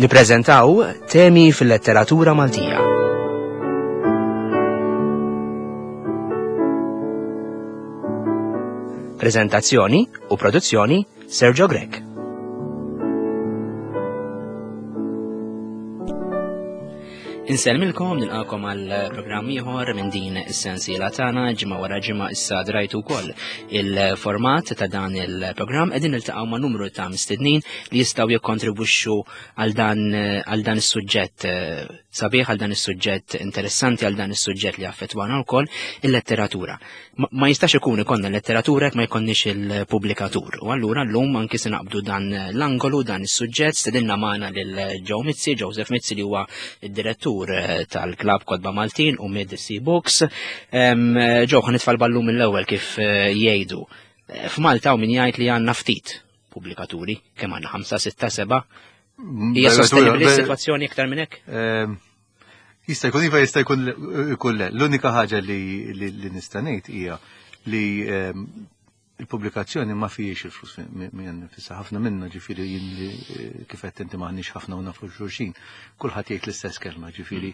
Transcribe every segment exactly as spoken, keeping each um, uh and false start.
Nippreżentaw temi fil-letteratura Maltija. Prezentazzjoni u produzzjoni Sergio Grech. Insellmilkom, nilqakom għal programm ieħor minn din is-sensiela tagħna. Ġimgħa wara ġimgħa issa drajtu wkoll il-format ta' dan il-programm, qegħdin niltaqgħu ma' numru ta' mistednin li jistgħu jikkontribwixxu għal dan għal dan is-suġġett sabiħ, għal dan is-suġġett interessanti, għal dan is-suġġett li affettwana wkoll, il-letteratura. Ma jistax ikun ikollna l-letteratura jekk ma jkollniex il-pubblikatur. U allura llum anki se naqbdu dan l-angolu, dan is-suġġett, stedinna magħna lil Joe Mizzi, Joseph Mizzi, li huwa id-direttur tal-Klabb Kotba Maltin u Mid Sea Books. Joe, ħa nitfa' l-ballun mill-ewwel kif jgħidu. F'Malta u min jgħid li għandna ftit pubblikaturi, kemm għandna, ħamsa, sitta, seba'? Hija sostenibbli s-sitwazzjoni iktar minn hekk? Jista' jkun iva, jista' jkun jkun le. L-unika ħaġa li, li, li nista' ngħid hija li il-pubblikazzjoni ma fijiex il-flus minn nifisha. Ħafna minna, ġifieri jien li kif qed inti m'aħniex ħafna u nafu xulxin, kulħadd jgħid l-istess kelma, ġifieri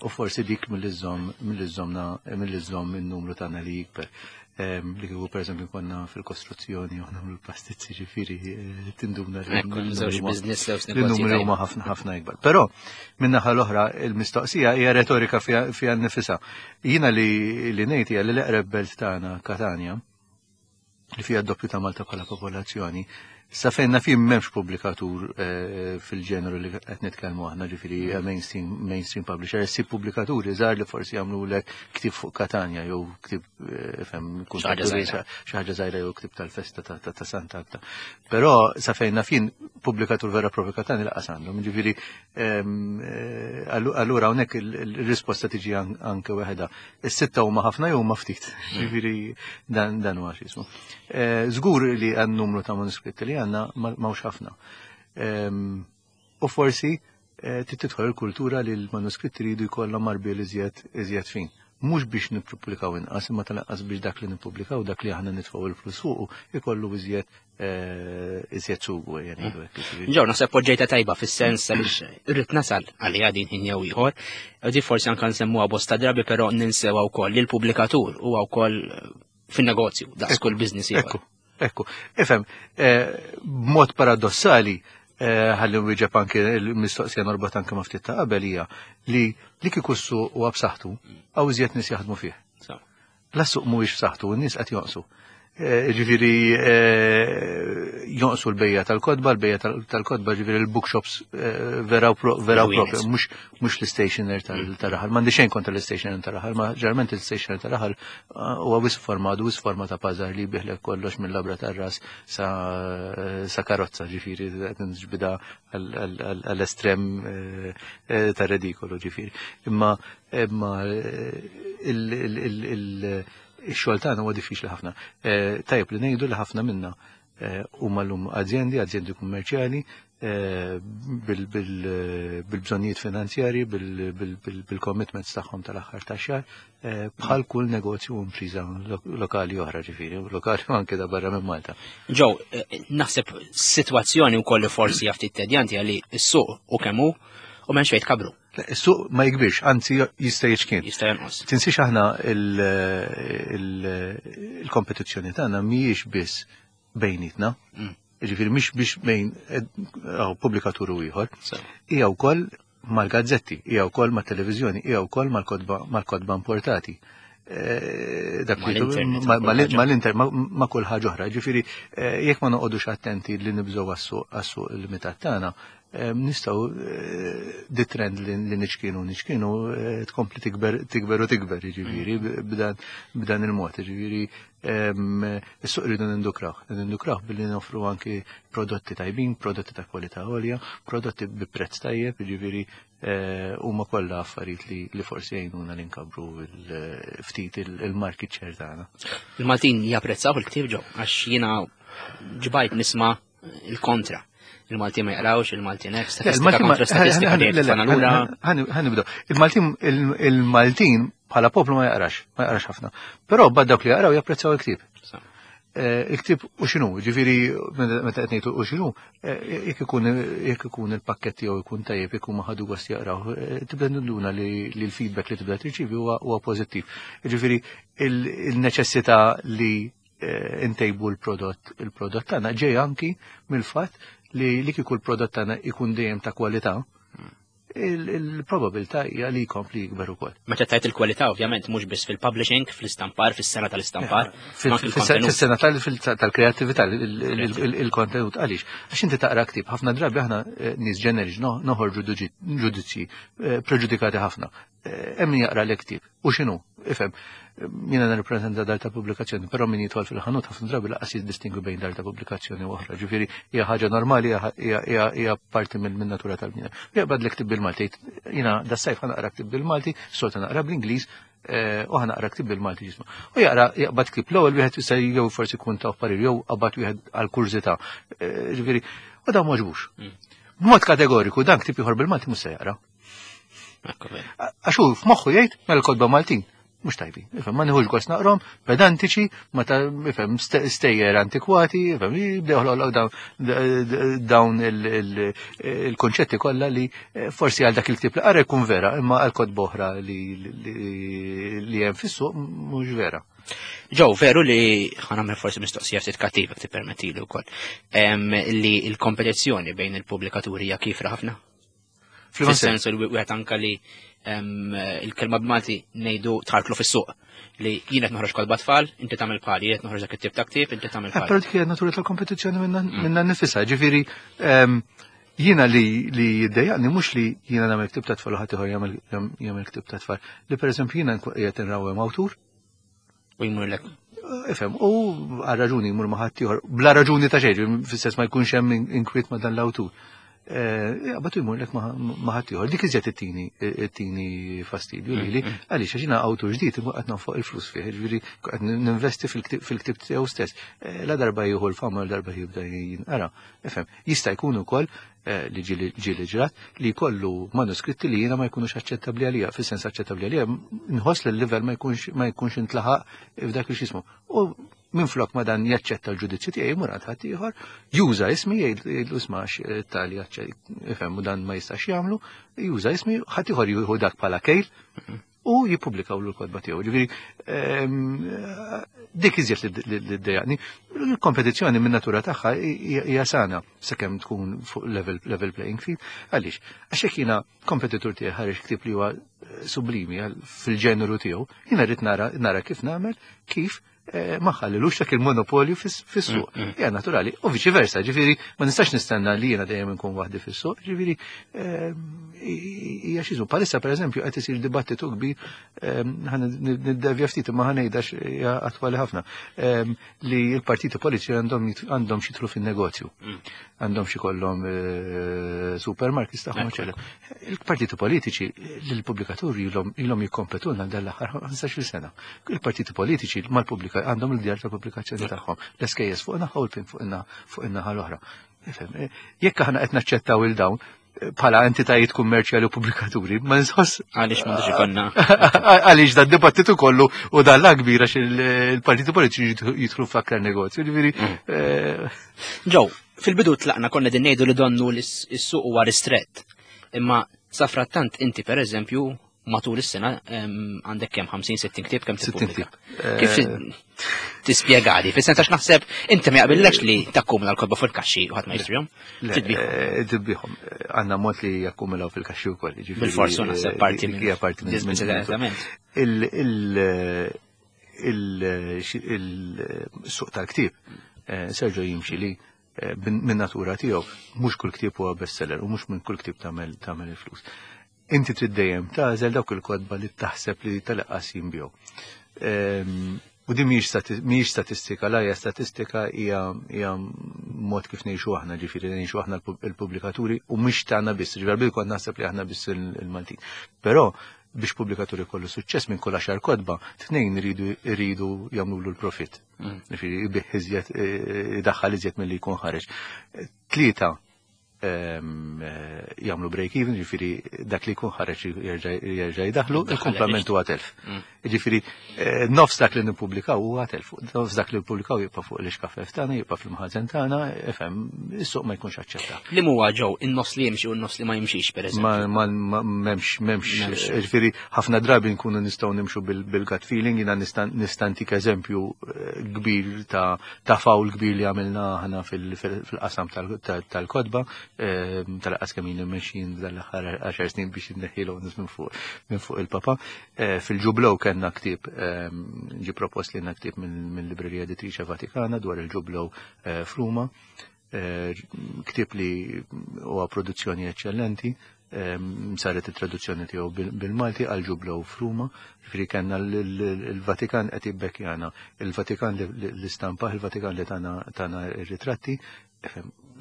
u forsi dik mill-iżżomm mill-iżżommna mill-iżżomm in-numru tagħna li jikber. Li kieku pereżempju konna fil-kostruzzjoni u nagħmlu l-pastizzi, ġifieri tinduna li n-numri huma ħafna ħafna ikbar. Però min-naħa l-oħra il-mistoqsija hija retorika fiha nnifisha. Jiena li li ngħid hija li l-eqreb belt tagħna, Katanja, li fija d-doppju ta' Malta bħala popolazzjoni, sa fejn naf jien m'hemmx pubblikatur fil-ġeneru li qed nitkellmu aħna, ġifieri mainstream, mainstream publisher, issib pubblikaturi żgħar li forsi jagħmlulek ktieb fuq Katanja jew ktieb fem Xi ħaġa żgħira. xi ħaġa żgħira jew ktieb tal-festa ta' Santa Agata. Però sa fejn naf jien pubblikatur vera propju Katanja laqas għandhom, ġifieri allura hawnhekk il-risposta tiġi anke waħedha. Is-sitta huma ħafna jew huma ftit, ġifieri dan huwa x'ismu. Żgur li għan numru ta' manuskritti li għandna m'hawnx ħafna. U forsi trid tidħol il-kultura li l-manuskritti jridu jkollhom marbiel iżjed iżjed fin. Mhux biex nippubblikaw inqas, imma tal-anqas biex dak li nippubblikaw, dak li aħna nitfgħu il-flus fuqu, ikollu iżjed iżjed sugu, ejja ngħidu hekk, jiġifieri. Ġew, naħseb poġġejta tajba fis-sens għaliex irrid nasal għalija din ħin jew ieħor. Di forsi anke nsemmuha bosta drabi, però ninsewha wkoll li l-pubblikatur huwa wkoll fin-negozju, daqs kull business ieħor. Ekku, ekku. Ifhem, b'mod paradossali, ħalli nwieġeb anke l-mistoqsija norbot anke ma' ftit ta' qabel hija li li kieku s-suq huwa b'saħħtu, hawn iżjed nies jaħdmu fih. La s-suq mhuwiex b'saħħtu, n-nies qed jonqsu. Ġifieri jonqsu l-bejja tal-kotba, l-bejja tal-kotba, ġifieri l-bookshops vera u vera u propju, mhux mhux l-stationer tal-raħal. M'għandi xejn kontra l-stationer tal-raħal, ma ġeneralment l-stationer tal-raħal huwa wis forma, wis forma ta' pażar li jbiħlek kollox mill-labra tar-ras sa karozza, ġifieri qed nġbida għall-estrem ta' redikolu, ġifieri. Imma imma il-xogħol tagħna huwa diffiċli ħafna. Tajjeb li ngħidu li ħafna minna huma llum azjendi, azjendi kummerċjali, bil-bżonnijiet finanzjarji, bil-commitments tagħhom tal-aħħar tax-xahar, bħal kull negozju u impriża lokali oħra, ġifieri, lokali u anke da barra minn Malta. Ġew, naħseb sitwazzjoni wkoll li forsi hija ftit tedjanti għalli s-suq u kemm hu u m'hemmx fejn tkabru. Is-suq ma jikbirx, anzi jista' jiċkien. Jista' jonqos. Tinsiex aħna il-kompetizzjoni tagħna mhijiex biss bejnietna. Ġifieri mhix biex bejn pubblikatur u ieħor. Hija wkoll mal-gazzetti, hija wkoll mat-televiżjoni, hija wkoll mal-kotba, mal-kotba importati. Dak li Mal-internet, mal-internet, ma' kull ħaġa oħra. Ġifieri jekk ma noqogħdux attenti li nibżgħu għas-suq limitat tagħna, nistgħu di trend li niċkienu niċkienu tkompli tikber, tikber u tikber, ġifieri, b'dan il-mod, ġifieri, is-suq rridu nindukraw, nindukraw billi noffru anki prodotti tajbin, prodotti ta' kwalità għolja, prodotti bi prezz tajjeb, ġifieri, huma kollha affarijiet li, li forsi jgħinuna li nkabru ftit il-market share tagħna. Il-Maltin japprezzaw il-ktieb ġew, għax jiena ġbajt nisma' il-kontra. Il-Maltin ma jaqrawx, il-Maltin hekk, statistika kontra statistika dejjem tfana lura. Ħa nibdew. Il-Maltin, il-Maltin bħala poplu ma jaqrax, ma jaqrax ħafna. Però bad dawk li jaqraw japprezzaw il-ktieb. Il-ktieb u x'inhu, ġifieri meta qed ngħidu u x'inhu, jekk ikun jekk ikun il-pakkett tiegħu jkun tajjeb, jekk huma ħadu gost jaqraw, tibda ninduna li l-feedback li tibda tirċievi huwa pożittiv. Ġifieri il-neċessità li ntejbu l-prodott il-prodott tagħna ġej anki mill-fatt li li kieku l-prodott tagħna ikun dejjem ta' kwalità, il-probabilità hija li jkompli jikber ukoll. Meta tajt il-kwalità ovvjament mhux biss fil-publishing, fl-istampar, fis-sena tal-istampar, fis-sena tal-kreattività, il-kontenut għaliex. Għax inti taqra ktieb, ħafna drabi aħna nies ġeneriċi noħorġu ġudizzji preġudikati ħafna. Hemm min jaqra l-ktieb u x'inhu, ifhem, jiena nirrappreżenta dar ta' pubblikazzjoni, però min jidħol fil-ħanut ħafna drabi laqas jiddistingwi bejn dar ta' pubblikazzjoni u oħra. Ġifieri hija ħaġa normali, hija parti minn natura tal-bniedem. Jaqbad l-ktieb bil-Malti, jiena das-sajf ħa naqra ktieb bil-Malti, solta naqra bl-Ingliż, u ħa naqra ktieb bil-Malti ġismu. U jaqra jaqbad ktieb l-ewwel wieħed jista' jew forsi jkun ta' parir jew qabad wieħed għal kurżità. Ġifieri, u dan m'għoġbux. B'mod kategoriku dan ktieb ieħor bil-Malti mhux se jaqra. Għax hu f'moħħu jgħid mela l-kotba Maltin mhux tajbin. Ifhem, ma nieħux gost naqrom, pedantiċi, ma ta' ifhem stejjer antikwati, ifhem jibdew joħloq dawn il-konċetti kollha li forsi għal dak il-ktieb li qara jkun vera, imma għal kotba oħra li hemm fis-suq mhux vera. Ġew, veru li ħa nagħmel forsi mistoqsija ftit kattiva tippermettili wkoll, li l-kompetizzjoni bejn il-pubblikaturi hija kifra ħafna? Fis-sens li wieħed anka li il-kelma b'Malti ngħidu tħarklu fis-suq li jien qed noħroġ kotba tfal, inti tagħmel bħali, jien qed noħroġ dak it-tip ta' ktieb, inti tagħmel bħali. Però dik hija natura tal-kompetizzjoni minna nnifisha, ġifieri jiena li li jiddejjaqni mhux li jiena nagħmel ktieb ta' tfal u ħadd ieħor jagħmel ktieb ta' tfal, li pereżempju jiena qiegħed inrawwem awtur u jmurlek. Ifhem, u għal raġuni jmur ma' ħadd ieħor, bla raġuni ta' xejn, fis-sens ma jkunx hemm inkwiet ma' dan l-awtur. Jaqbad jmur lek ma' ħadd ieħor. Dik iżjed ittini ittini fastidju lili, għaliex għax jiena awtur ġdid imma qed nonfoq il-flus fih, jiġifieri qed ninvesti fil-ktieb tiegħu stess. La darba jieħu l-fama, la darba jibda jinqara. Ifhem, jista' jkun ukoll li ġieli ġrat li jkollu manuskritti li jiena ma jkunux aċċettabbli għalija, fis-sens aċċettabbli għalija, nħoss li l-livell ma jkunx ma jkunx intlaħaq f'dak li x'ismu. U minn flok ma dan jaċċetta l-ġudizzju tiegħi jmur għand ħadd ieħor, juża ismi, jgħidlu isma' tali ifhem u dan ma jistax jagħmlu, juża ismi, ħadd ieħor jieħu dak bħala kejl u jippubblikaw l-kotba tiegħu. Ġifieri dik iżjed li ddejjaqni. Il-kompetizzjoni minn natura tagħha hija sana sakemm tkun fuq level level playing field. Għaliex? Għax jekk jiena kompetitur tiegħi ħareġ ktieb li huwa sublimi fil-ġeneru tiegħu, jiena rrid nara nara kif nagħmel kif ma ħallilux dak il-monopolju fis-suq. Hija naturali, u viċi versa, ġifieri ma nistax nistenna li jiena dejjem inkun waħdi fis-suq, ġifieri hija xi żu. Palissa pereżempju qed isir dibattitu kbir, ħa niddevja ftit imma ħa ngħidha hija attwali ħafna, li l-partiti politiċi għandhom għandhom xi jidħlu fin-negozju. Għandhom xi kollhom supermarkets tagħhom, eċetera. Il-partiti politiċi lill-pubblikaturi ilhom jikkompetulna dal-aħħar ħmistax-il sena. Il-partiti politiċi mal-pubblika għandhom il-djar ta' pubblikazzjoni tagħhom, l-S K S fuq naħa u l-PIN fuq in-naħa l-oħra. Ifhem, jekk aħna qed naċċettaw il dawn bħala entitajiet kummerċjali u pubblikaturi, ma nħoss. Għaliex m'għandux ikollna. Għaliex dan dibattitu kollu u dan la kbira għax il-partiti politiċi jidħlu f'aktar negozju, ġifieri. Ġew, fil-bidu tlaqna konna din ngħidu li donnu li s-suq huwa ristrett. Imma safrattant inti pereżempju matul is-sena għandek kemm ħamsin sittin ktieb kemm tippubblika. Kif tispjegali? Fis-sens għax naħseb inti ma jaqbillekx li takkumula l-kotba fil-kaxxi u ħadd ma jixtrihom. Tbigħhom. Għandna mod li jakkumulaw fil-kaxxi wkoll, jiġifieri, Bil-forsu naħseb parti minn hija parti minn eżattament. Il-suq tal-ktieb, Sergio jimxi li minn natura tiegħu mhux kull ktieb huwa bestseller u mhux minn kull ktieb tagħmel tagħmel il-flus. Inti trid dejjem tagħżel dawk il-kotba li taħseb li tal-qas jinbigħu. U din mhijiex statistika, la hija statistika, hija hija mod kif ngħixu aħna, ġifieri ngħixu aħna l-pubblikaturi u mhix tagħna biss, ġifieri bil kont naħseb li aħna biss il-Maltin. Però biex pubblikaturi kollu suċċess minn kull għaxar kotba, tnejn iridu iridu jagħmlu l-profit. Ġifieri jbigħ iżjed, idaħħal iżjed milli jkun ħareġ. Tlieta jagħmlu break even, ġifieri dak li jkun ħareġ jerġa' jdaħlu, il-kumplament huwa telf. Mm. Ġifieri eh, nofs dak li nippubblikaw huwa telf, nofs dak li nippubblikaw jibqa' fuq l-ixkafef tagħna, jibqa' fil-mħażen tagħna, ifhem, is-suq ma jkunx aċċetta. Li huwa ġew in-nofs li jimxi u n-nofs li ma jimxix, pereżempju. Ma m'hemmx m'hemmx, ġifieri ħafna drabi nkunu nistgħu nimxu bil-gut feeling, jiena nista' ntik eżempju eh, kbir ta' ta' fawl kbir li għamilna aħna fil-qasam tal-kotba, ehm, tal-qas kemm ilu mexjin dal-aħħar għaxar snin biex inneħħilu minn fuq minn fuq il-papa. Eh, fil-ġublow kellna ktieb, ehm, ġi propost li ktieb mill-Librerija Editrice Vatikana dwar il-ġublow eh, f'Ruma. Eh, ktieb li huwa produzzjoni eċċellenti, ehm, saret it-traduzzjoni tiegħu bil-Malti għal ġublow f'Ruma, ġifieri kellna l-Vatikan qed jibbekkjana, il-Vatikan li stampah, il-Vatikan li tana tana ir-ritratti,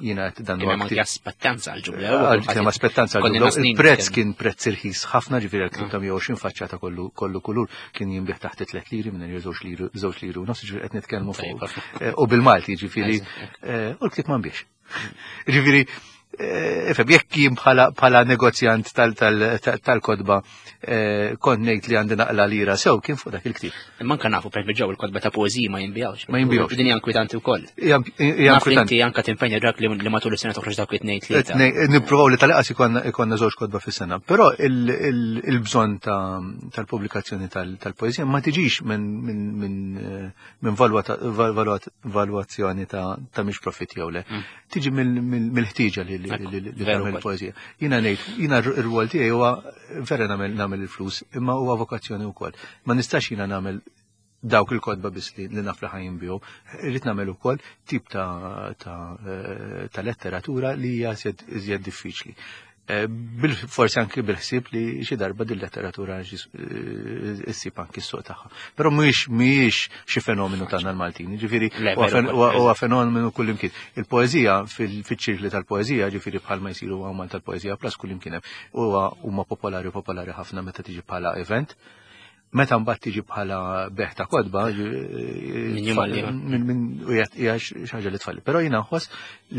jiena qed dan huwa. Kien aspettanza għal ġublew. Kien aspettanza għal ġublew. Il-prezz kien prezz irħis ħafna, ġifieri għal ta' mija u għoxrin faċċata kollu kollu kulur kien jinbih taħt tliet liri minn żewġ liri żewġ liri u nofs, ġifieri qed nitkellmu fuq. Eh, u bil-Malti ġifieri eh, u l-ktieb ma nbiex. Ġifieri ifhem, jekk jien bħala negozjant tal-kotba eh, kont ngħid li għandi naqla lira sew kien fuq dak il-ktieb. Imma anke nafu per ġew il-kotba ta' poeżiji ma jinbijawx. Ma jinbijawx. Din hija inkwetanti wkoll. Naf li inti anke timpenja dak li matul is-sena toħroġ dawk it-tnejn tlieta. Nippruvaw li tal-inqas ikollna żewġ kotba fis-sena. Però il-bżonn tal-pubblikazzjoni tal-poeżija ma tiġix minn valwazzjoni ta' mhix profitt jew le. Mm. Tiġi mill-ħtieġa li li tagħmel poeżija. Jiena ngħid, jiena r-rwol tiegħi huwa vera nagħmel nagħmel il-flus, imma huwa vokazzjoni wkoll. Ma nistax jiena nagħmel dawk il-kotba biss li naf li ħa jinbiegħu. Irrid nagħmel ukoll tip ta' ta' letteratura li hija iżjed diffiċli. Forsi anki bil-ħsieb li xi darba din letteratura issib anki s-suq tagħha. Però mhijiex mhijiex xi fenomenu tagħna l-Maltin, ġifieri huwa fenomenu kullimkien. Il-poeżija fiċ-ċirkli tal-poeżija, ġifieri bħalma jsiru hawn tal-poeżija plus kullimkien hemm, huwa huma popolari popolari ħafna meta tiġi bħala event. Meta mbagħad tiġi bħala bejgħ ta' kotba, minn hija xi ħaġa li tfalli. Però jiena nħoss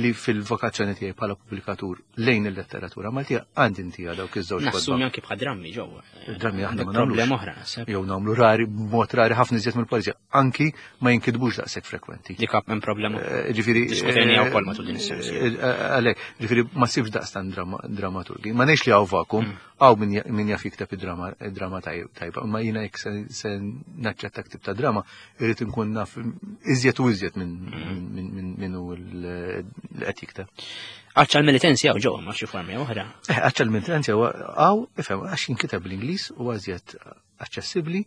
li fil-vokazzjoni tiegħi bħala pubblikatur lejn il-letteratura Maltija għandi intija dawk iż-żewġ kotba. Nassumi anke bħal drammi ġewwa. Drammi aħna ma problema oħra. Jew nagħmlu rari, b'mod rari ħafna iżjed mill-poeżija, anki ma jinkitbux daqshekk frekwenti. Dik hemm problema. Ġifieri Diskutejniha wkoll matul din is-sena. Għalhekk, ġifieri ma sibx daqstan dramaturgi. Ma ngħidx li hawn vacuum, hawn min jaf jikteb id-drama tajba, imma jiena jekk se naċċetta ktib ta' drama, irrid inkun naf iżjed u iżjed minn min hu li qed jikteb. Għaċċa l-Melitensi hawn ġewwa ma' xi formi oħra. Eh, għaċċa l-Melitensi hawn, ifhem, għax jinkiteb bl-Ingliż u iżjed aċċessibbli.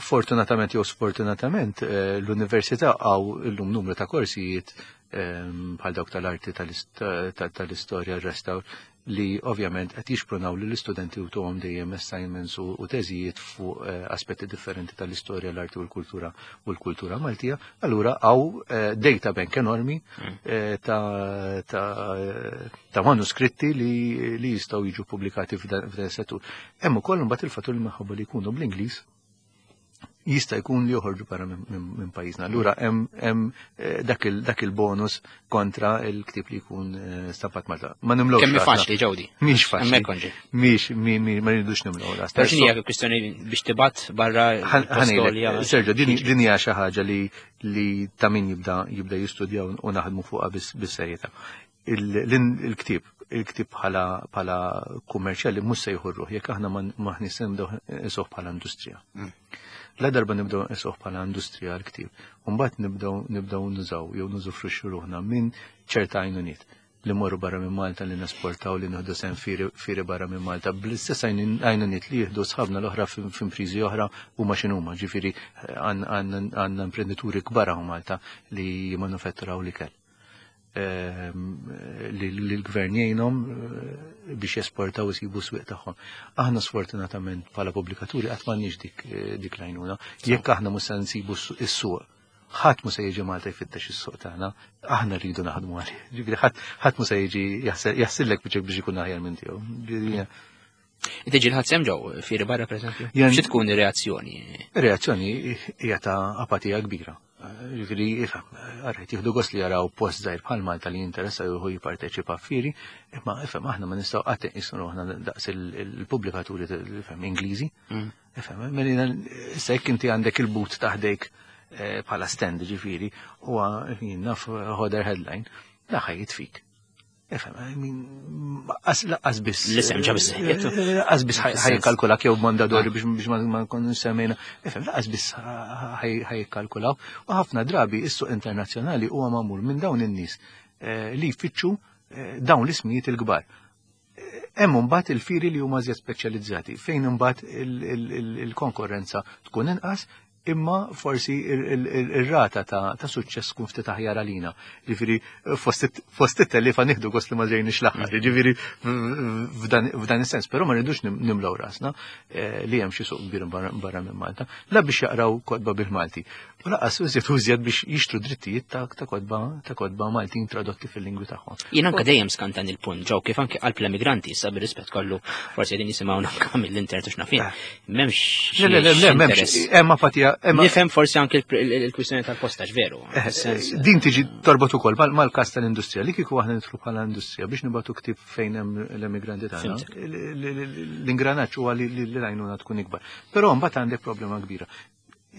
Fortunatament jew sfortunatament, l-università hawn illum numru ta' korsijiet bħal dawk tal-arti tal-istorja, restawr, li ovvjament qed jixprunaw lill istudenti u tuhom dejjem assignments u teżijiet fuq aspetti differenti tal-istorja, l-arti u l-kultura u l-kultura Maltija. Allura hawn data bank enormi ta' ta' manuskritti li li jistgħu jiġu pubblikati f'dan is-settur. Hemm ukoll imbagħad il-fattur li minħabba li jkunu bl-Ingliż jista' jkun li joħorġu barra minn pajjiżna. Allura hemm dak il-bonus kontra il-ktieb li jkun stampat Malta. Ma nimlowx. Kemm faċli ġewdi. Mhix faċli. Mhix ma rridux nimlew ras. Però x'inhi kwistjoni biex tibgħat barra l Sergio, din hija xi ħaġa li li ta' min jibda jibda jistudjaw u naħdmu fuqha bis-serjetà. Il-ktieb il-ktieb bħala bħala kummerċjali mhux se jieħu ruħ jekk aħna maħniex se nibdew nqisuh bħala industrija. La darba nibdew nqisuh bħala industrija l-ktieb, u mbagħad nibdew nibdew nużaw jew nużufruxxu ruħna minn ċerta għajnuniet li morru barra minn Malta, li nesportaw, li nieħdu sehem fieri barra minn Malta, bl-istess għajnuniet li jieħdu sħabna l-oħra f'impriżi oħra huma x'inhuma, ġifieri għandna imprenditori kbar hawn Malta li jimmanufatturaw l-ikel. Li l-gvern jgħinhom biex jesportaw isibu swieq tagħhom. Aħna sfortunatament bħala pubblikaturi qatt m'għandniex dik dik l-għajnuna. Jekk aħna mhux se nsibu s-suq, ħadd mhux se jiġi Malta jfittex is-suq tagħna, aħna rridu naħdmu għalih. Ġifieri ħadd mhux se jiġi jaħsillek biex biex ikun aħjar minn tiegħu. Tiġi l-ħadd sem ġew fieri barra pereżempju? Xi tkun ir-reazzjoni? Ir-reazzjoni hija ta' apatija kbira. Ġifieri, għarret, jieħdu gost li jaraw post żgħir bħal Malta li jinteressa juhu jipparteċipa f'fieri, imma ifhem aħna ma nistgħu qatt inqisu ruħna daqs il-pubblikaturi ifhem Ingliżi. Mm. Ifhem, mela issa jekk inti għandek il-booth ta' ħdejk eh, bħala stand ġifieri, huwa naf Hodder Headline, da ħa jitfik. Ifhem, I mean, laqqas biss. L-isem ġa biżżejjed. Laqqas biss ħa jikkalkulak jew Mondadori biex biex ma nkunu semmejna. Ifhem, laqqas biss ħa jikkalkulaw. U ħafna drabi is-suq internazzjonali huwa magħmul minn dawn in-nies eh, li jfittxu eh, dawn l-ismijiet il-kbar. Hemm imbagħad il-firi li huma żjed speċjalizzati fejn imbagħad il-konkurrenza tkun inqas imma forsi ir-rata ta' suċċess tkun ftit aħjar għalina. Ġifieri fost it-tellifa nieħdu gost li ma ġejniex l-aħħar, ġifieri f'dan is-sens, però ma rridux nimlew rasna eh, li hemm xi suq kbir barra minn Malta, la biex jaqraw kotba bil-Malti. U lanqas użjed użjed biex jixtru drittijiet ta' kotba ta' kotba Maltin tradotti fil-lingwi tagħhom. Jien anke dejjem skantan il-punt ġew kif anke qalb l-emigranti issa bir-rispett kollu forsi qegħdin jisimgħu anke mill-internet u x'naf jien. Eh. M'hemmx. Le, le, le, m'hemmx. Hemm apatija Nifhem forsi anke il-kwistjoni tal-postaġ veru. Eh, din tiġi torbot ukoll mal-każ tal-industrija li kieku aħna nidħlu bħala industrija biex nibgħatu ktieb fejn hemm l-emigranti tagħna. L-ingranaġġ huwa li l-għajnuna tkun ikbar. Però mbagħad għandek problema kbira.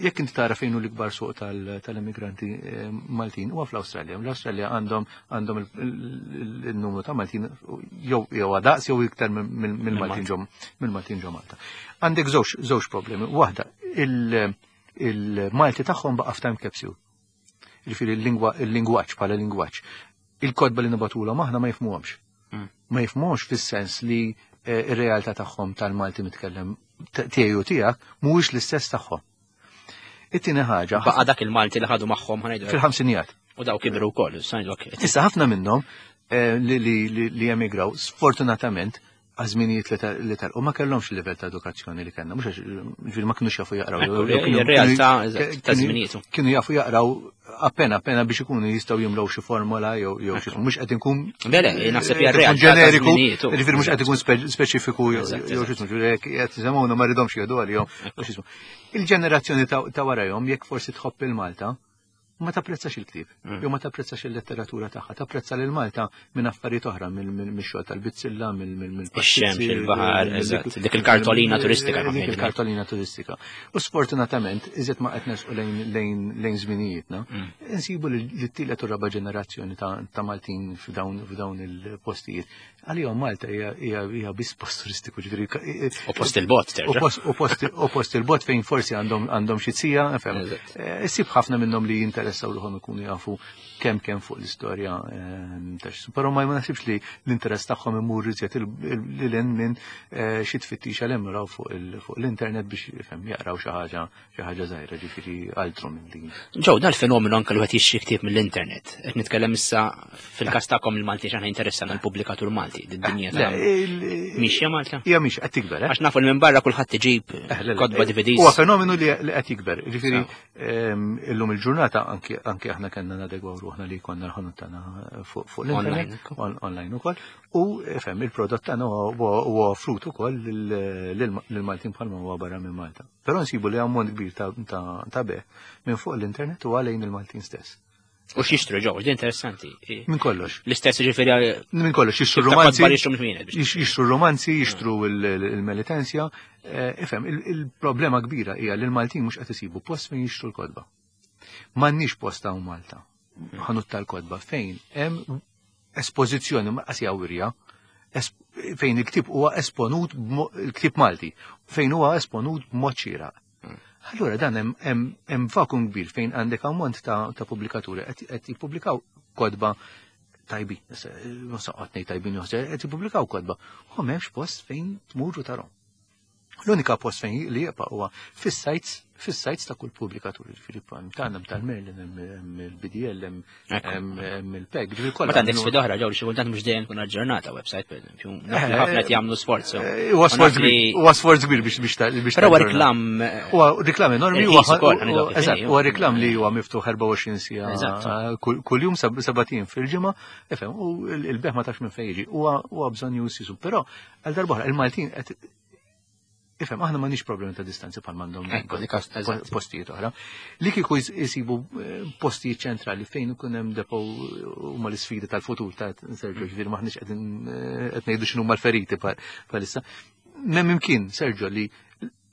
Jekk inti tara fejn hu l-ikbar suq tal-immigranti eh, Maltin huwa fl-Awstralja. L-Awstralja għandhom għandhom il-numru ta' Maltin jew jew daqs jew iktar mill-Maltin ġo mill-Maltin ġo Malta. Għandek żewġ żewġ problemi. Waħda, il-Malti tagħhom baqa' f'time capsule. Ġifieri il-lingwaġġ bħala lingwaġġ. Il-kotba li nibagħtulhom aħna ma jifhmuhomx. Mm. Ma jifhmuhomx fis-sens li eh, ir-realtà tagħhom tal-Malti mitkellem tiegħi u tiegħek mhuwiex l-istess tagħhom. It-tieni ħaġa. Baqa' dak il-Malti li ħadu magħhom ħa ngħidu. Fil-ħamsinijat. U daw kibru wkoll, ngħidu Issa ħafna minnhom eh, li emigraw, sfortunatament, għaż-żminijiet li telqu ma kellhomx il-livell ta' edukazzjoni li kellna, mhux għax ma kinux jafu jaqraw. Ir-realtà ta' żminietu. Kienu jafu jaqraw appena appena biex ikunu jistgħu jimlew xi formola jew jew xi mhux qed inkun. Bele, naħseb hija realtà ġeneriku, ġifieri mhux qed ikun speċifiku jew xi ismu, qed jisimgħuna ma rridhomx jieħdu għalihom. Il-ġenerazzjoni ta' warajhom jekk forsi tħobb il-Malta, ma tapprezzax il-ktieb, Mm. jew ma tapprezzax il-letteratura tagħha, tapprezza lil Malta minn affarijiet oħra, mill-xogħol tal-bizzilla, mill Ix-xemx, il-baħar, eżatt, dik il-kartolina turistika. Dik il-kartolina turistika. U sfortunatament, iżjed ma qed nersqu lejn lejn żminijietna, Mm. insibu li t-tielet u raba ġenerazzjoni ta' Maltin f'dawn il-postijiet. Għalihom Malta hija biss post turistiku, ġifieri. U post il-bot, terġa'. U post il-bot fejn forsi għandhom xi zija, Issib ħafna minnhom li jinteressaw ruħhom ikunu jafu kemm kemm fuq l-istorja ta' Però ma naħsibx li l-interess tagħhom imur iżjed lil minn xi tfittixa li jaraw fuq l-internet biex ifhem jaqraw xi ħaġa xi ħaġa żgħira ġifieri altru minn din. Ġew dal-fenomenu anke li wieħed jixtri ktieb mill-internet. Qed nitkellem issa fil-każ tagħkom il-Malti x'aħna interessana l-pubblikatur Malti, d-dinja ta' Mixja Malta? Hija mhix qed tikber, Għax nafu li minn barra kulħadd iġib kotba D V Ds. Huwa fenomenu li qed jikber. Ġifieri illum il-ġurnata anke aħna kellna nadegwaw ruħna li konna l-ħanut tagħna fuq l-internet, online ukoll, u fhem il-prodott tagħna huwa offrut ukoll lill-Maltin bħalma huwa barra minn Malta. Però nsibu li ammont kbir ta' bejgħ minn fuq l-internet u għalejn il-Maltin stess. U x'jixtru ġew, di interessanti. Minn kollox. L-istess ġifieri. Minn kollox, jixtru romanzi. Jixtru romanzi, jixtru il-Melitensja. Ifhem, il-problema kbira hija li l-Maltin mhux qed isibu post fejn jixtru l-kotba. M'għandniex post hawn Malta. Ħanut tal-kotba fejn hemm espożizzjoni ma qas wirja fejn il-ktieb huwa esponut il-ktieb Malti fejn huwa esponut b'mod xieraq. Allura dan hemm vakum kbir fejn għandek ammont ta' pubblikaturi qed jippubblikaw kotba tajbin, ma saqgħod ngħid tajbin qed jippubblikaw kotba. U m'hemmx post fejn tmuru tarhom. L-unika post fejn li jibqa' huwa fis-sites fis-sites ta' kull pubblikatur, ġifieri tagħna tal-Merlin, hemm il-B D L, hemm il-PEG, ġifieri kollha. Ma għandek sfida oħra ġew li xi kultant mhux dejjem tkun aġġornata website, pereżempju. Ħafna qed jagħmlu sforz. Huwa sforz kbir, huwa sforz kbir biex biex biex. Però huwa reklam. Huwa reklam enormi, huwa eżatt, huwa reklam li huwa miftuħ erbgħa u għoxrin siegħa kuljum sebat ijiem fil-ġimgħa, ifhem, u l-bejgħ ma tafx minn fejn jiġi, huwa bżonn jusisu, però għal darb'oħra il-Maltin qed Ifhem, aħna m'għandniex problemi ta' distanzi bħal m'għandhom postijiet oħra. Li kieku jsibu postijiet ċentrali fejn ikun hemm depo huma l-isfidi tal-futur ta' Sergio, ġifieri m'aħniex qegħdin qed ngħidu x'inhuma l-feriti bħalissa. M'hemm imkien, Sergio, li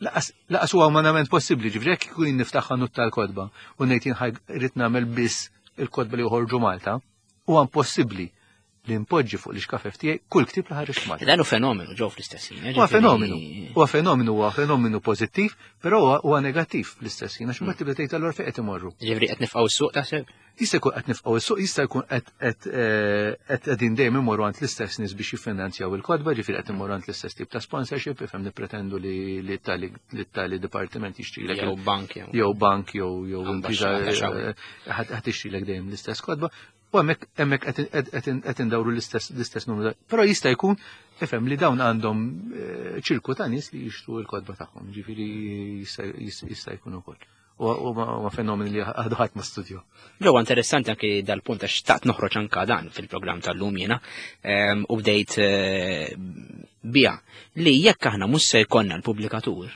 laqas huwa umanament possibbli, ġifieri jekk ikun niftaħ ħanut tal-kotba u ngħid jien rid nagħmel biss il-kotba li joħorġu Malta, huwa impossibbli li npoġġi fuq l-ixkafef tiegħi kull ktieb li ħareġ Malta. Dan hu fenomenu ġew fl-istess ħin. Huwa fenomenu, huwa fenomenu, huwa fenomenu pożittiv, però huwa negattiv fl-istess ħin, għax imbagħad tibda tgħid allura fejn qed imorru. Ġifieri qed nifqgħu s-suq taħseb? Jista' jkun qed nifqgħu s-suq, jista' jkun qed qed qegħdin dejjem imorru għand l-istess nies biex jiffinanzjaw il-kotba, ġifieri qed imorru għand l-istess tip ta' sponsorship, ifhem nippretendu li tali dipartiment jixtrilek. Jew bank jew bank jew jew impriża ħadd tixtrilek dejjem l-istess kotba. U hemmhekk hemmhekk qed indawru l-istess numru. Però jista' jkun ifhem li dawn għandhom ċirku ta' nies li jixtru l-kotba tagħhom, ġifieri jista' jkun ukoll. U ma fenomeni li għadu ħadd ma studju. Ġewwa interessanti anke dal-punt għax xtaqt noħroġ anke dan fil-programm tal-lum jiena u bdejt biha li jekk aħna mhux se jkollna l-pubblikatur,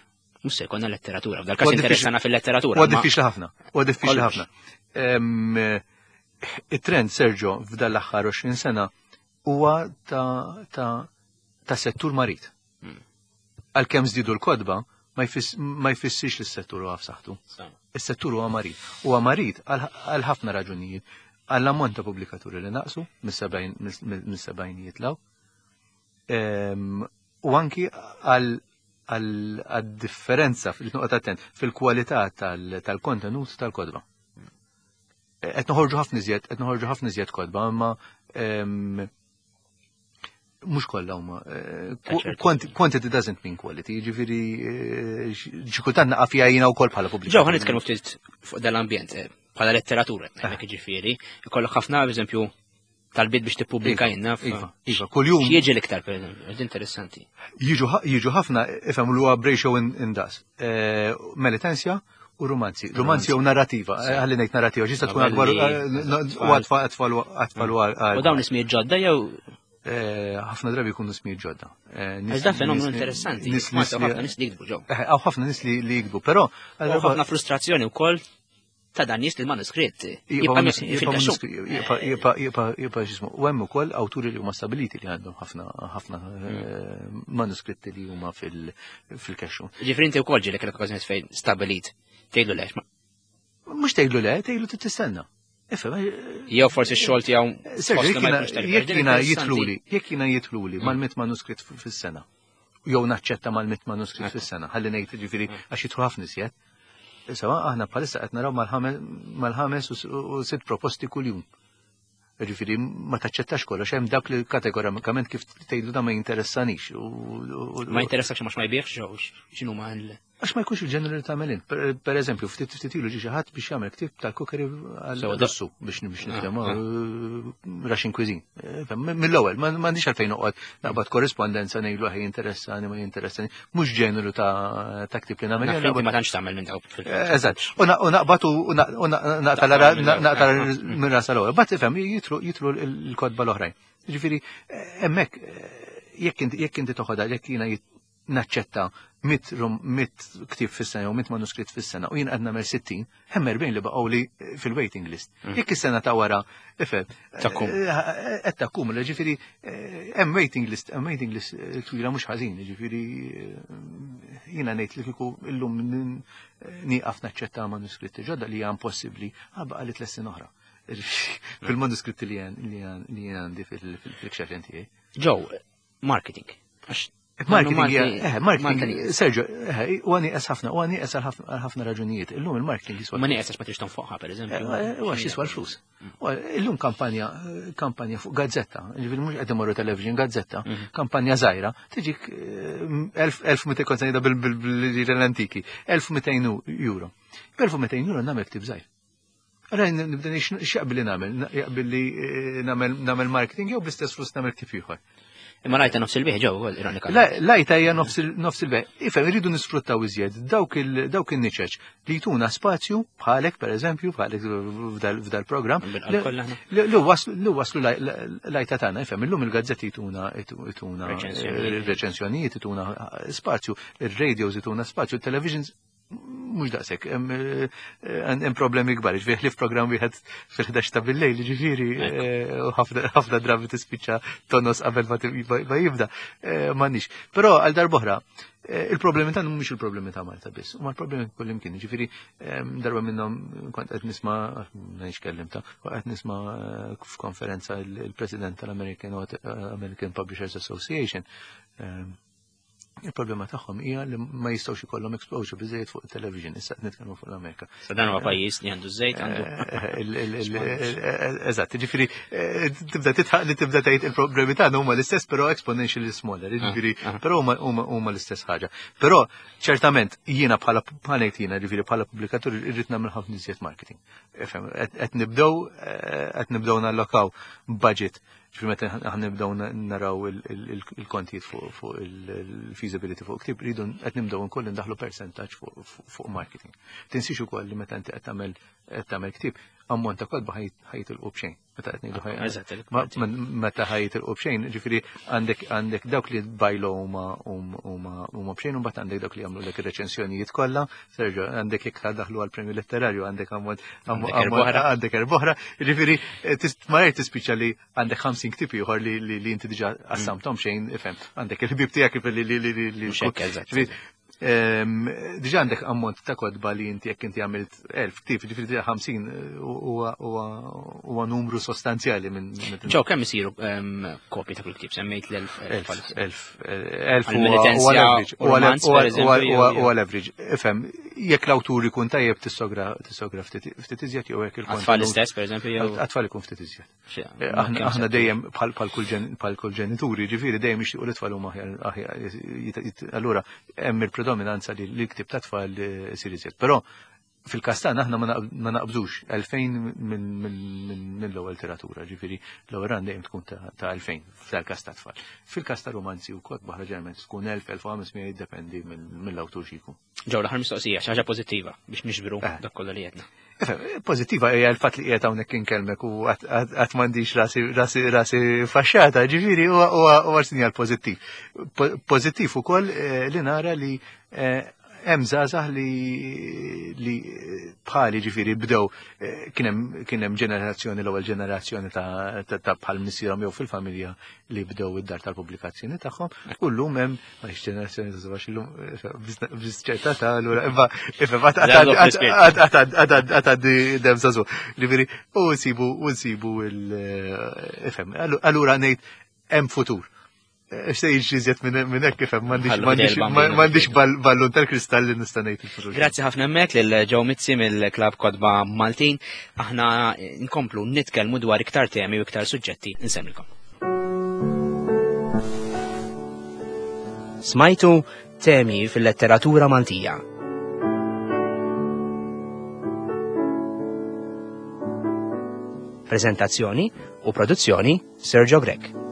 mhux se jkollna letteratura. F'dal-każ interessana fil-letteratura. Huwa diffiċli ħafna, huwa diffiċli ħafna. Il-trend, Sergio, f'dan l-aħħar għoxrin sena huwa ta', ta, ta' settur marid. Għalkemm żdiedu l-kotba, ma jfissirx li s-settur huwa f'saħħtu. Is-settur huwa marid. Huwa marid għal ħafna raġunijiet. Għall-ammont ta' pubblikaturi li naqsu mis-sebgħinijiet law. U anki għal-differenza, fil-nuqqat attent, fil-kwalità tal-kontenut tal-kotba. Qed noħorġu ħafna iżjed, qed noħorġu ħafna iżjed kotba, imma mhux kollha huma. Quantity doesn't mean quality, jiġifieri xi kultant naqa' fiha jiena wkoll bħala pubbliku. Ġew ħa nitkellmu ftit fuq dal-ambjent bħala letteratura, hekk jiġifieri, ikollok ħafna eżempju talbiet biex tippubblika jiena. Iva, iva, kuljum. X'jiġi l-iktar pereżempju, interessanti. Jiġu ħafna, ifhem li huwa b'ratio indas. Melitensja u romanzi. Romanzi u narrativa, ħalli ngħid narrativa, ġista tkun akbar u għatfal u U dawn ismijiet ġodda jew ħafna drabi jkunu ismijiet ġodda. Għax dan fenomenu interessanti. Ħafna nies li jiktbu ġew. Hawn ħafna nies li jiktbu, però ħafna frustrazzjoni wkoll ta' dan nies li l-manuskritt jibqa' jibqa' jibqa' x'ismu. U hemm ukoll awturi li huma stabiliti li għandhom ħafna ħafna manuskritti li huma fil-kexxu. Ġifieri inti wkoll ġielek l-okkażjoni fejn stabilit tgħidlu le. Mhux tgħidlu le, tgħidlu tistenna. Jew forsi x-xogħol tiegħu. Jekk jiena jitluli, jekk jiena jitluli mal-mitt manuskritt fis-sena. Jew naċċetta mal-mitt manuskritt fis-sena, ħalli ngħid ġifieri għax jidħlu ħafna iżjed. Sawa aħna bħalissa qed naraw mal-ħames u sitt proposti kuljum. Ġifieri ma taċċettax kollox, hemm dak li kategorikament kif tgħidlu da ma jinteressanix. Ma jinteressakx għax ma jbieħx jew x'inhu ma l- Għax ma jkunx il-ġeneru ta' tagħmel int. Per eżempju, ftit ftit ilu ġie xi ħadd biex jagħmel ktieb tal-cookery għal-Russu biex biex nitkellmu Russian cuisine. Mill-ewwel, m'għandix għalfejn noqgħod naqbad korrispondenza ngħidlu ħaj jinteressani ma jinteressani, mhux ġeneru ta' ktieb li nagħmel. Ma tantx tagħmel minn dawk fil- Eżatt. U naqbad u naqta minn rasa l-ewwel. Bat ifhem jitlu l-kotba l-oħrajn. Ġifieri hemmhekk jekk inti toħodha jekk jiena naċċetta mit mit ktieb fis-sena jew mit manuskritt fis-sena u jien qed nagħmel sittin, hemm erbgħin li baqgħu li fil-waiting list. Jekk is-sena ta' wara, ifhem, qed takkumula, ġifieri hemm waiting list, hemm waiting list twila mhux ħażin, ġifieri jiena ngħid li kieku illum nieqaf naċċetta manuskritti ġodda li hija impossibbli, baqa' li tliet snin oħra. Fil-manuskritti li jien għandi fil-kxafen tiegħi. Ġew, marketing. Marketing, eh, marketing, Sergio, eh, u għani ħafna, u għani għal ħafna raġunijiet. Illum il-marketing jiswa. Ma nieqes għax ma trix tonfoqha, per eżempju. U għax jiswa l-flus. Illum kampanja, kampanja fuq gazzetta, ġifieri mhux qed imorru television, gazzetta, kampanja żgħira, tiġik elf mitejn kont ngħidha bil-antiki, elf mitejn euro. B'elf mitejn euro nagħmel ktieb żgħir. Allora nibda x'jaqbilli nagħmel, jaqbilli nagħmel marketing jew bl-istess flus nagħmel ktieb ieħor. Imma l-għajta nofs il-bejgħ ġew ukoll ironikament. L-għajta hija nofs il-bejgħ. Ifhem, irridu nisfruttaw iżjed dawk il-niċeċ li jtuna spazju bħalek pereżempju, bħalek f'dal-programm. Li waslu l-għajta tagħna, ifhem, illum il-gazzetti jtuna jtuna reċensjonijiet, jtuna spazju, ir-radios jtuna spazju, il-televisions mhux daqshekk, hemm problemi kbar, ġifieri ħlief programm wieħed fil-ħdax ta' bil-lejl, ġifieri ħafna drabi tispiċċa tonos qabel ma jibda, m'għandniex. Però għal darb'oħra, il-problemi tagħna mhumiex il-problemi ta' Malta biss, huma l-problemi kullimkien, ġifieri darba minnhom kont qed nisma' m'għandix kellimta, qed nisma' f'konferenza il-President tal-American American Publishers Association. Il-problema tagħhom hija li ma jistgħux ikollhom exposure biżejjed fuq it-television, issa qed nitkellmu fuq l-Amerika. Sa dan huwa pajjiż li għandu żejt għandu. Eżatt, jiġifieri tibda titħaq li tibda tgħid il-problemi tagħna huma l-istess però exponentially smaller, jiġifieri però huma l-istess ħaġa. Però ċertament jiena bħala bħalejt jiena, jiġifieri bħala pubblikatur irrid nagħmel ħafna iżjed marketing. Qed nibdew qed nibdew nallokaw budget. Ġifieri meta aħna nibdew naraw il-kontijiet fuq il-feasibility fuq ktib, rridu qed nibdew nkoll indaħlu percentaġġ fuq marketing. Tinsix ukoll li meta inti qed tagħmel qed tagħmel ktieb, ammont ta' kotba ħajtilqu b'xejn. Meta qed ngħidu meta ħajtilqu b'xejn, ġifieri għandek għandek dawk li bajlu huma huma b'xejn u mbagħad għandek dawk li jagħmlu lek ir-reċensjonijiet kollha, serġa' għandek jekk daħlu għall-premju letterarju għandek ammont għandek erboħra, ġifieri malajr tispiċċa li għandek ħamsin ktieb ieħor li inti diġà qassamthom xejn, ifhem, għandek il-ħbieb tiegħek li li li diġà għandek ammont ta' kotba li inti jekk inti għamilt elf ktieb, ġifieri ħamsin huwa numru sostanzjali minn. Ġew kemm isiru kopji ta' kull ktieb? Semmejt l-elf. Elf, elf huwa l-average. Ifhem, jekk l-awtur ikun tajjeb tissogra tissogra ftit iżjed jew jekk il-kontenut. Għat-tfal istess pereżempju jew. Għat-tfal ikun ftit iżjed. Aħna dejjem bħal kull ġenituri, ġifieri dejjem jixtiequ l-tfal huma aħjar. Allura hemm il-predominanza li l-ktib ta' tfal isir iżjed. Però fil-każ tagħna aħna ma naqbżux elfejn mill-ewwel literatura, ġifieri l-ewwel run dejjem tkun ta' elfejn fil-każ ta' tfal. Fil-każ ta' romanzi u kotba oħra ġeneralment tkun elf, elf u ħames mija jiddependi mill-awtur xi jkun. Ġew l-aħħar mistoqsija, xi ħaġa pożittiva biex niġbru dak kollu li għedna. Pożittiva hija l-fatt li qiegħed hawnhekk inkellmek u qatt m'għandix rasi rasi rasi faxxata, ġifieri huwa sinjal pożittiv. Pożittiv ukoll li nara li hemm żgħażagħ li bħali ġifieri bdew kien hemm ġenerazzjoni, l-ewwel ġenerazzjoni ta' bħal missierhom jew fil-familja li bdew id-dar tal-pubblikazzjoni tagħhom, u llum hemm m'għandix ġenerazzjoni ta' żgħażagħ illum biss ċerta ta' allura imma ifhem għad dem żagħżugħ. Ġifieri u nsibu u nsibu ifhem allura ngħid hemm futur. X'se jiġri iżjed minn hekk kif hemm m'għandix ballun tal-kristall li nista' ngħid il-futur. Grazzi ħafna hemmhekk lil Joe Mizzi mill-Klabb Kotba Maltin. Aħna nkomplu nitkellmu dwar iktar temi u iktar suġġetti nsemmilkom. Smajtu temi fil-letteratura Maltija. Prezentazzjoni u produzzjoni Sergio Grech.